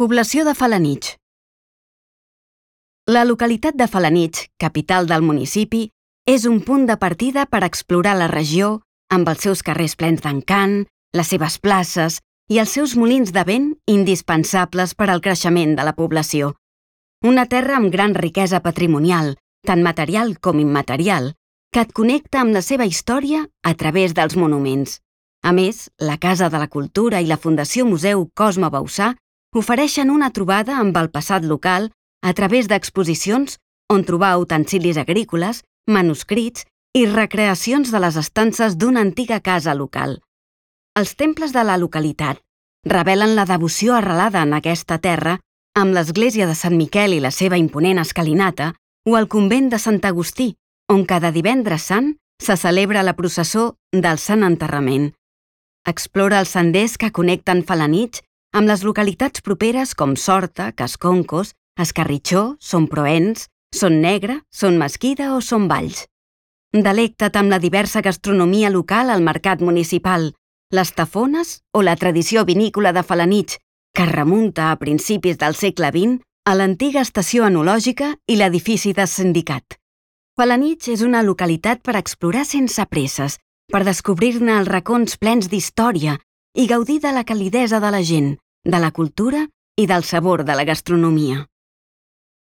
Població de Felanitx. La localitat de Felanitx, capital del municipi, és un punt de partida per explorar la regió amb els seus carrers plens d'encant, les seves places i els seus molins de vent indispensables per al creixement de la població. Una terra amb gran riquesa patrimonial, tant material com immaterial, que et connecta amb la seva història a través dels monuments. A més, la Casa de la Cultura i la Fundació Museu Cosme Bauçà ofereixen una trobada amb el passat local a través d'exposicions on trobar utensilis agrícoles, manuscrits i recreacions de les estances d'una antiga casa local. Els temples de la localitat revelen la devoció arrelada en aquesta terra amb l'església de Sant Miquel i la seva imponent escalinata o el convent de Sant Agustí, on cada divendres sant se celebra la processó del Sant Enterrament. Explora els senders que connecten Felanitx amb les localitats properes com Sorta, Casconcos, Escarritxó, Son Proens, Son Negre, Son Mesquida o Son Valls. Delecta't amb la diversa gastronomia local al mercat municipal, les tafones o la tradició vinícola de Felanitx, que es remunta a principis del segle XX a l'antiga estació enològica i l'edifici de sindicat. Felanitx és una localitat per explorar sense presses, per descobrir-ne els racons plens d'història i gaudir de la calidesa de la gent, de la cultura i del sabor de la gastronomia.